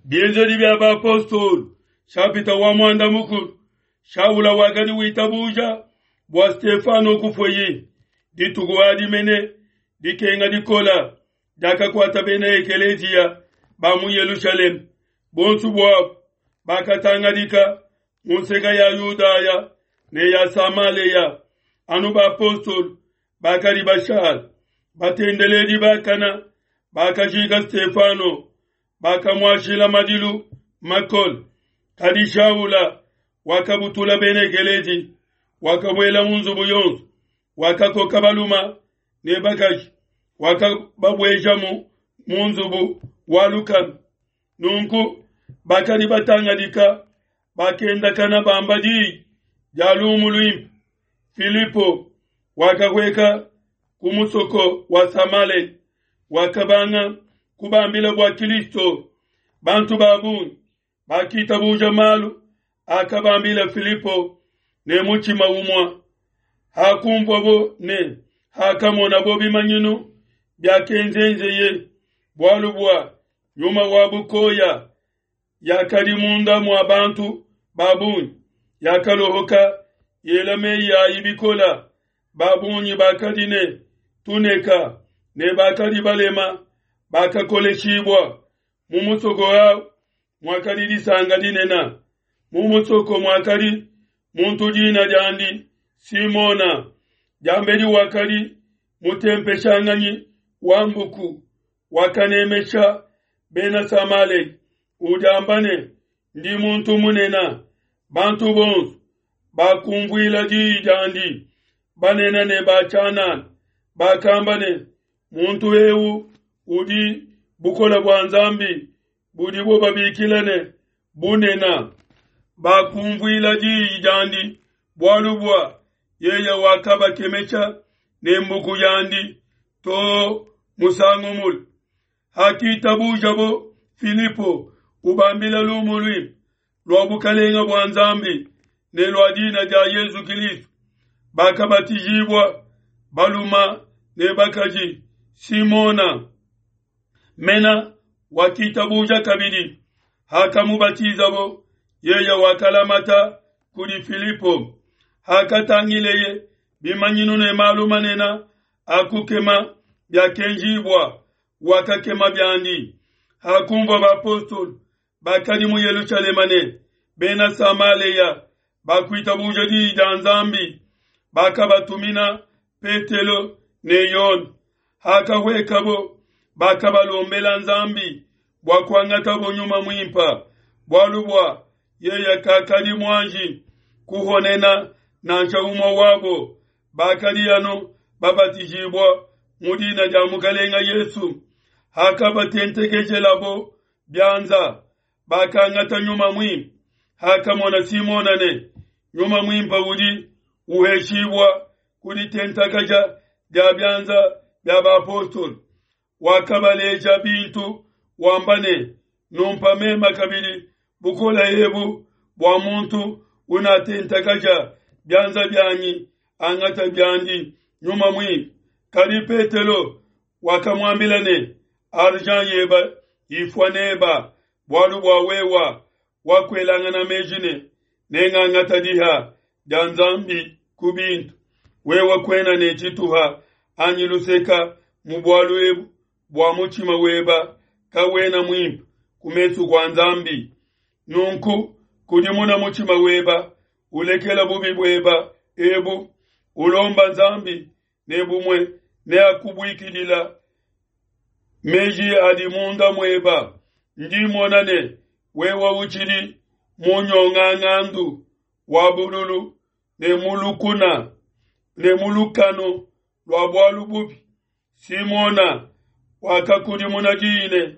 Bienzedi bia Bapostolo, nshapita wa muanda mukulu, Shaula wakadi witabuja bua Stefano kufueyi. Dituku adi mene dikenga dikola diakakuata bena ekeleziya ba mu Yelushalema. Bonso buabu bakatangadika mu nseka ya Yudaya ne ya Samaleya, anu bapostolo bakadi bashala. Batendeledi bakana bakajika Stefano, bakamuashila madilu makole. Kadi Shaula wakabutula bena ekelezi, wakabuela mu nzubu yonso, wakakoka baluma ne bakaji, wakababuejamu mu nzubu wa lukanu. Nunku bakadi batangadika bakendakana bamba diyi dia lumu luimpe. Filipo wakahueka ku musoko wa Samale, wakabanga kubambila bua Kristo. Bantu ba bungi bakitabuja malu akabambila Filipo ne mutshima umue. Hakumvuabo ne hakamonabo bimanyinu biakenzenzeye, bualu bua nyuma wa bukoya yakadi munda mua bantu ba bungi yakalohoka yela meyi ayi bikola. Ba bungi bakadi ne tuneka ne bakadi balema bakakoleshibua. Mu musoko au muakadi disanka dinene. Mu musoko muakadi muntu dina diandi Simona, diambedi wakadi mutempeshanganyi wa mbuku, wakanemesha Bena Samalea, udiamba ne, Ndi muntu munene. Bantu bonso bakumvuila diyi diandi, banene ne ba tshianana, bakamba ne, Muntu eu udi bukole bua Nzambi budibo babikila ne, Bunene. Bakumvuila diyi diandi, bualu bua yeye wakabakemesha ne mbuku yandi too musangu mule. Hakitabujabo Filipo ubambila lumu luimpe lua bukelenge bua Nzambi ne lua dina dia Yezu Kilisto, bakabatijibua baluma ne bakaji. Simona mena wakitabuja kabidi, hakamubatizabo yeye wakalamata kudi Filipo. Hakatangileye bimanyinu ne malu manene a kukema biakenjibua, wakakema biandi. Hakumvua bapostolo bakadi mu Yelushalema ne Bena Samalea bakuitabuja diyi dia Nzambi, bakabatumina Petelo ne Yone. Hakahuekabo, bakabalombela Nzambi bua kuangatabo Nyuma Muimpe, bualu bua yeye kakadi muanji kuhonena nansha umue wabo, bakadi anu babatijibua mu dina dia Mukelenge Yesu. Hakabatentekeshelabo bianza, bakangata Nyuma Muimpe. Hakamona Simona ne Nyuma Muimpe udi uheshibua ku ditentakaja dia bianza bia bapostolo, wakabaleja bintu wamba ne, Numpa mema kabidi bukole ebu bua muntu unatentakaja bianza bianyi angata biandi Nyuma Muimpe. Kadi Petelo wakamuambila ne, Argent yeba ifua neba, bualu bua wewa wakuelangana meji ne, nengangata diha dia Nzambi ku bintu. Wewa kuena ne tshituha anyi luseka mu bualu ebu, bua mutshima weba kawena muimpe ku mesu kua Nzambi. Nunku kudimuna mutshima weba, ulekela bubi bueba ebu, ulomba Nzambi, ne bumue neakubuikidila meji adi munda mueba. Ndi mmona ne wewe utshidi mu nyongangandu wa bululu ne mu lukuna ne mu lukanu lua bualu bubi. Simona wakakudimuna diyi ne,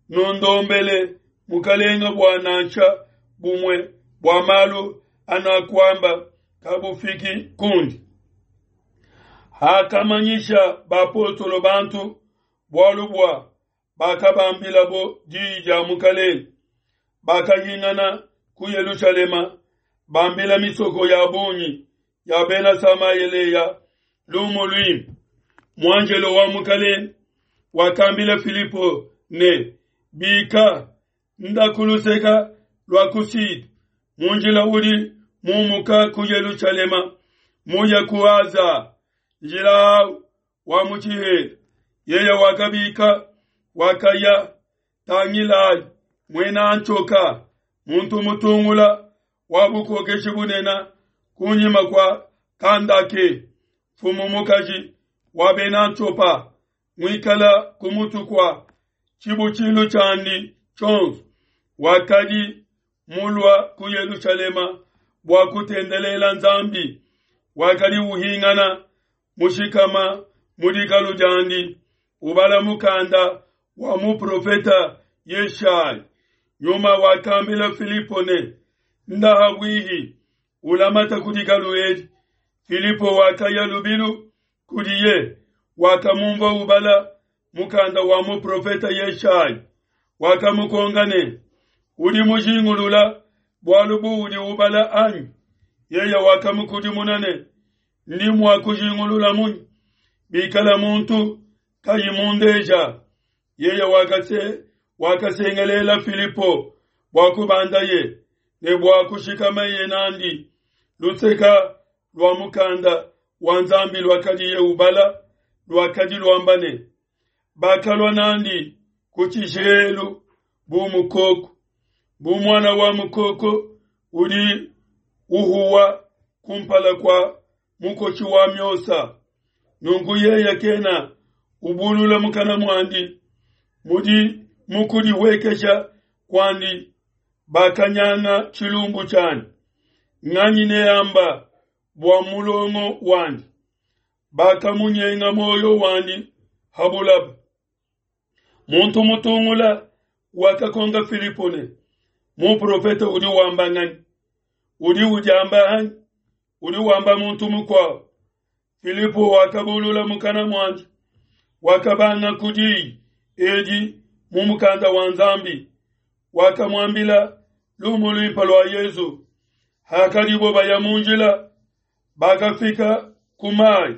Nundombele Mukelenge bua nansha bumue bua malu anakuamba kabufiki kundi. Hakamanyisha bapostolo bantu bualu bua bakabambilabo diyi dia Mukelenge, bakahingana ku Yelushalema, bambila misoko ya bungi ya Bena Samayeleya lumu luimpe. Muanjelo wa Mukelenge wakambila Filipo ne, Bika, Nda ku luseka lua ku Sud, mu njila udi mumuka ku Yelushalema muya ku Aza, njila au wa mu tshihela. Yeye wakabika, wakaya. Tangilayi, muena Antioka, muntu mutungula wa bukokeshi bunene kunyima kua Kandake, mfumu mukaji wa bena Antiopa, muikala ku mutu kua tshibutshilu tshiandi tshionso, wakadi mulua ku Yelushalema bua kutendelela Nzambi, wakadi uhingana mushikama mu dikalu diandi, ubala mukanda wa muprofeta Yeshaya. Nyuma wakambila Filipo ne, Nda habuihi, ulamata ku dikalu edi. Filipo wakaya lubilu kudiye, wakamumvua ubala mukanda wa muprofeta Yeshaya. Wakamukonka ne, Udi mujingulula bualu buudi ubala anyi? Yeye wakamukudimuna ne, Ndi mua kujingulula munyi bikala muntu kayi mundeja? Yeye wakase wakasengelela Filipo bua kubandaye ne bua kushikamaye nandi. Luseka lua mukanda wa Nzambi luakadiye ubala luakadi luamba ne, Bakalua nandi ku tshishihelu bu mukoko, bu muana wa mukoko udi uhuwa kumpala kua mukotshi wa miosa. Nunku yeye kena ubulula mukana muandi, mudi mu kudihuekesha kuandi bakanyanga tshilumbu tshiandi. Nganyi neamba bua mulongo wandi? Bakamunyenga muoyo wandi ha bulaba. Muntu mutungula wakakonka Filipo ne, Muprofete udi wamba nganyi? Udi udiamba anyi? Udi wamba muntu mukuabo? Filipo wakabulula mukana muandi, wakabanga ku diyi edi mu mukanda wa Nzambi, wakamuambila lumu luimpe lua Yezu. Hakadibo baya mu njila, bakafika ku mayi.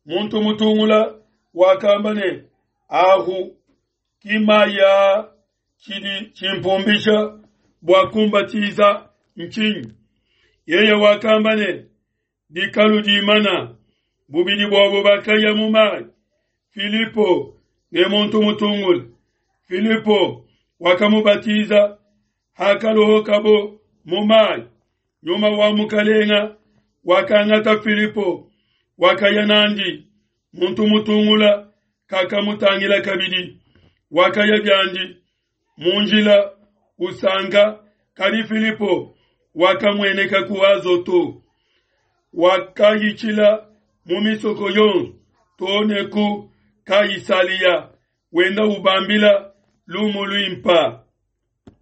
Muntu mutungula wakamba ne, Ahu ki mayi aa, tshidi tshimpumbisha bua kumbatiza ntshinyi? Yeye wakamba ne, Dikalu dimana. Bubidi buabo bakaya mu mayi, Filipo ne muntu mutungula. Filipo wakamubatiza. Hakalohokabo mu mayi, Nyuma wa Mukalenga wakangata Filipo, wakaya nandi. Muntu mutungula kakamutangila kabidi, wakaya biandi mu njila usanka. Kadi Filipo wakamueneka ku Azoto, wakahitshila mu misoko yonso to ne ku Kaisalia, wenda ubambila lumu luimpa.